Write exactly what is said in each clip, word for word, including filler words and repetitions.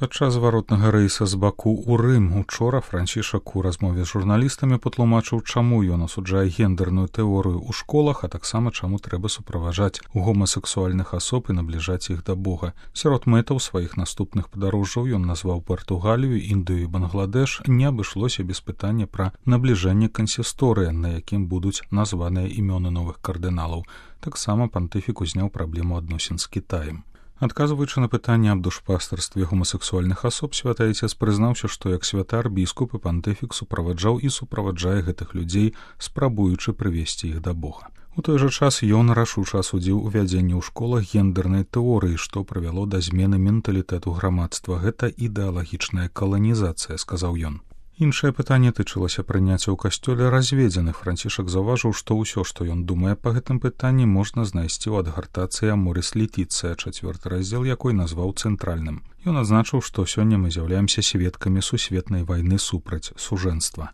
Падчас зваротнага рэйса з Баку ў Рым учора Францішак у размове з журналістамі патлумачыў, чаму ён асуджае гендерную тэорыю ў школах, а таксама чаму трэба суправаджаць гомасексуальных асоб і набліжаць іх да Бога. Сярод мэтаў сваіх наступных падарожжаў ён назваў Партугалію, Індыю і Бангладеш. Не абышлося без пытання пра набліжэнне кансісторыя, на якім будуць названыя імёны новых кардыналаў. Таксама пантыфік узняў праблему адносін з Кітаем. Адказваючы на пытанне аб душпастарстве гомасексуальных асоб, святы Айцец прызнаўся, што як святар, біскуп і пантыфік суправаджаў і суправаджае гэтых людзей, спрабуючы прывесці іх да Бога. У той жа час ён рашуча асудзіў увядзенне ў школах гендернай тэорыі, што прывяло да змены менталітэту грамадства. Гэта ідэалагічная каланізацыя, сказаў ён. Іншае пытанне тычылася прыняцця ў касцёле разведзеных. Францішак заўважыў, што ўсё, што ён думае па гэтым пытанні, можна знайсці ў адгартацыі Аморис Летіцыя, чацвёрты раздзел якой назваў цэнтральным. Ён адзначыў, што сёння мы з'яўляемся сведкамі сусветнай вайны супраць сужэнства.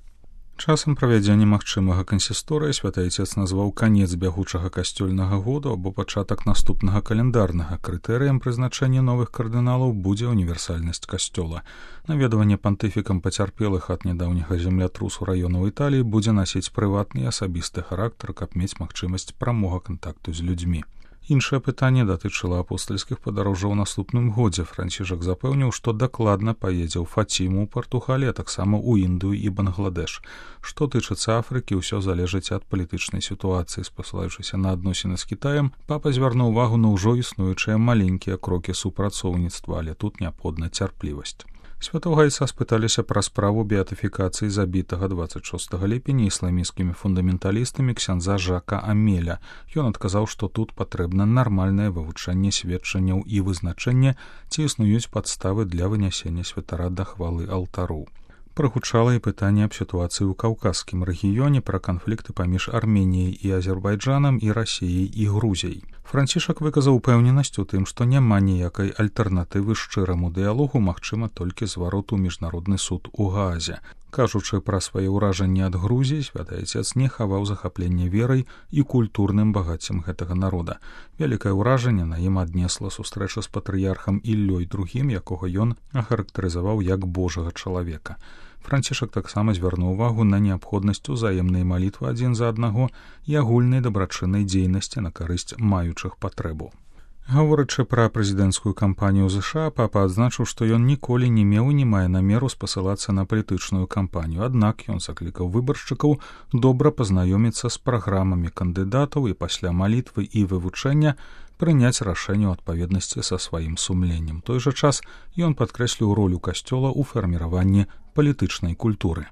Часам правядзення магчымага кансісторыя святы Айцец назваў канец бягучага касцёльнага году або пачатак наступнага календарнага. Крытэрыем прызначэння новых кардыналаў будзе універсальнасць касцёла. Наведванне пантыфікам пацярпелых ад нядаўняга землятрусу раёнаў Італіі будзе насіць прыватны і асабісты характар, каб мець магчымасць прамога кантакту з людзьмі. Іншае пытанне датычыла апостальскіх падарожжаў у наступным годзе. Францішак запэўніў, што дакладна паедзе ў Фаціму ў Партугаліі, а таксама ў Індыю і Бангладеш. Што тычыцца Афрыкі, ўсё залежыць ад палітычнай сітуацыі. Спасылаючыся на адносіны з Кітаем, папа звярнуў увагу на ўжо існуючыя маленькія крокі супрацоўніцтва, але тут неабходна цярплівасць. Святога Айца спыталіся пра справу беатыфікацыі забітага дваццаць шостага ліпеня ісламісцкімі фундаменталістамі ксяндза Жака Амеля. Ён адказаў, што тут патрэбна нармальнае вывучэнне сведчанняў і вызначэнне, ці існуюць падставы для вынясення святара да хвалы алтару. Прагучала і пытанне аб сітуацыі ў каўказскім рэгіёне, пра канфлікты паміж Арменіяй і Азербайджанам і Расіяй і Грузіяй. Францішак выказаў упэўненасць у тым, што няма ніякай альтэрнатывы шчыраму дыялогу, магчыма толькі зварот у міжнародны суд у Гаазе. Кажучы пра свае ўражанні ад Грузіі, святы Айцец не хаваў захапленне верай і культурным багаццем гэтага народа. Вялікае ўражанне на ім аднесла сустрэча з патрыярхам Іллёй другім, якога ён ахарактарызаваў як божага чалавека. Францішак таксама звярнуў увагу на неабходнасць узаемнай малітвы адзін за аднаго і агульнай дабрачыннай дзейнасці на карысць маючых патрэбу. Гаворачы пра прэзідэнцкую кампанію ЗША, папа адзначыў, што ён ніколі не меў і не мае намеру спасылацца на палітычную кампанію. Аднак ён заклікаў выбаршчыкаў добра пазнаёміцца з праграмамі кандыдатаў і пасля малітвы і вывучэння прыняць рашэнне ў адпаведнасці са сваім сумленнем. У той жа час ён падкрэсліў ролю касцёла ў фарміраванні палітычнай культуры.